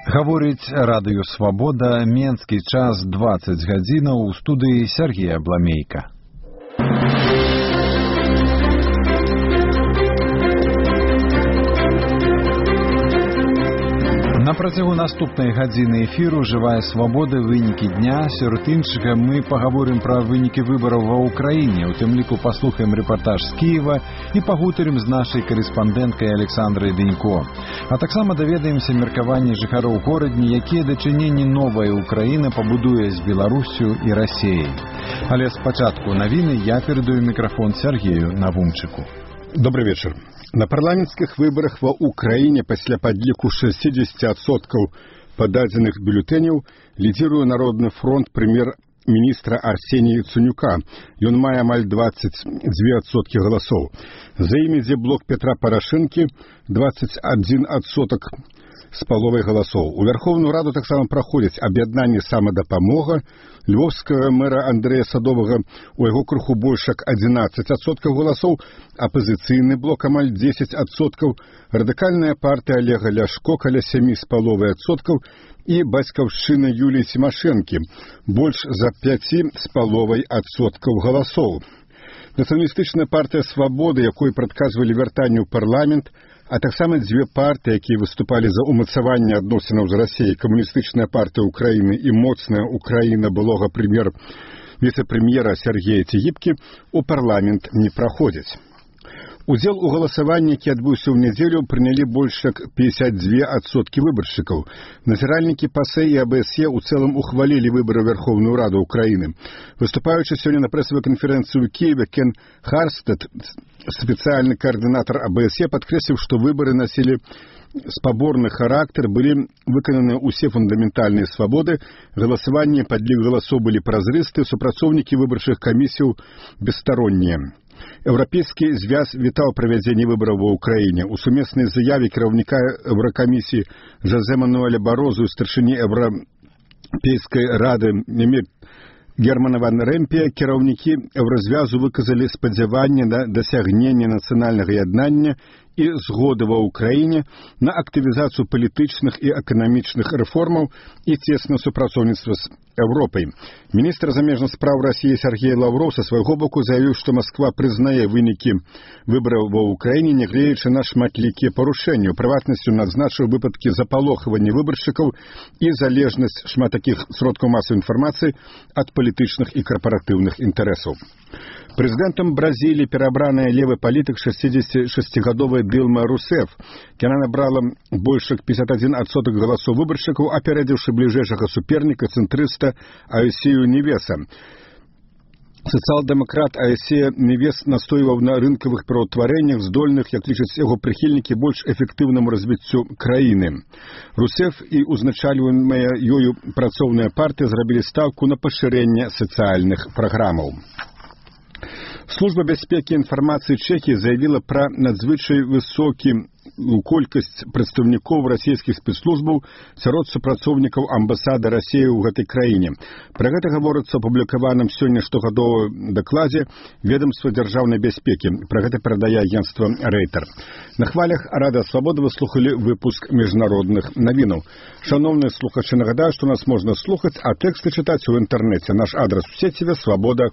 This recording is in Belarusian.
Гаворыць радыё «Свабода», менскі час 20 гадзінаў, у студыі Сергія Бламейка. На працягу наступнай гадзіны эфіру «Жывая свабода. Вынікі дня». Сярод іншага мы пагаворым пра вынікі выбараў ва ўкраіне. У тым ліку паслухаем рэпартаж з Кіева і пагутарым з нашай карэспандэнткай Александрай Дэнько. А таксама даведаемся меркаванні жыхароў горадні, якія дачыненні новая Украіна пабудуе з Беларусю і Расіяй. Але спачатку навіны я перадаю мікрафон Сергею Навумчыку. Добрый вечер. На парламенцкіх выбарах ва Украіне пасля падліку 60% пададзеных бюлетэняў лідзіруе Народны фронт прэм'ер-міністра Арсенія Яценюка. Ён мае амаль 22% галасоў. За ім ідзе блок Петра Парашэнкі 21% з паловай галасоў. У Вярхоўную Раду таксама праходзяць аб'яднанне «Самадапамога», львовскага мэра Андрэя Садовага, у яго крыху больш як 11% галасоў, апазіцыйны блок амаль 10%, радыкальная партыя Олега Ляшко каля 7,5% і бацькаўшчына Юліі Цімашэнкі больш за 5,5% галасоў. Нацыяналістычная партыя «Свабода», якой прадказвалі вяртанне ў парламент, а таксама дзве партыі, якія выступалі за ўмацаванне адносінаў з Расіяй, камуністычная партыя Украіны і моцная Украіна былога віцэ-прэм'ера Сергея Цігіпкі, у парламент не праходзяць. Удзел у галасаванні, які адбыўся ў нядзелю, прынялі больш як 52% выбаршчыкаў. Назіральнікі ПАСЭ і АБСЕ ў цэлым ухвалілі выбары ў Верховную Раду Украіны. Выступаючы сёння на прэсавай канферэнцыі ў Киеве, Кен Харстед, спецыяльны каардынатар АБСЕ, падкрэсліў, што выбары насілі спаборны характар, былі выкананы ўсе фундаментальныя свабоды, галасаванне, падлік галасоў былі празрысты, супрацоўнікі выбарчых камісіяў бесстароннія. Еўрапейскі звяз вітаў правядзенне выбараў ва ўкраіне. У сумеснай заяве кіраўніка Еўракамісіі Жозе Мануэля Барозу і старшыні Еўрапейскай рады Германа ван Рэмпе кіраўнікі Еўразвязу выказалі спадзяванне на дасягненне нацыянальнага яднання і згоды ва ўкраіне на актывізацыю палітычных і эканамічных рэформаў і цеснае супрацоўніцтва з Еўропай. Міністр замежных спраў Расіі Сергей Лаўроў са свайго боку заявіў, што Масква прызнае вынікі выбараў ва ўкраіне, нягледзячы на шматлікія парушэнні. У прыватнасці адзначыў выпадкі запалохвання выбаршчыкаў і залежнасць шмат такіх сродкаў масавай інфармацыі ад палітычных і карпаратыўных інтарэсаў. Прэзідэнтам Бразіліі перабраная левы палітык 66гадовая Дилма Русеф. Яна набрала больш як 51% галасоў выбаршчыкаў, апярэдзіўшы бліжэйшага суперніка цэнтрыста Аесію Невеса. Сацыял-дэмакрат Аесія Невес настойваў на рынкавых пераўтварэннях, здольных, як лічаць яго прыхільнікі, больш эфектыўнаму развіццю краіны. Русеф і узначальваемая ёю працоўная партыя зрабілі стаўку на пашырэнне сацыяльных праграмаў. Служба бяспекі інфармацыі Чэхіі заявіла пра надзвычай высокі колькасць прадстаўнікоў расійскіх спецслужбаў сярод супрацоўнікаў амбасады Расіі ў гэтай краіне. Пра гэта гаворыцца ў апублікаваным сёння штогадовым дакладзе ведамства дзяржаўнай бяспекі. Пра гэта перадае агенцтва Рейтер. На хвалях Радыё Свабода вы слухалі выпуск міжнародных навінаў. Шановныя слухачы, нагадаю, што нас можна слухаць, а тэксты чытаць у інтэрнэце. Наш адрас у сеціве свабода.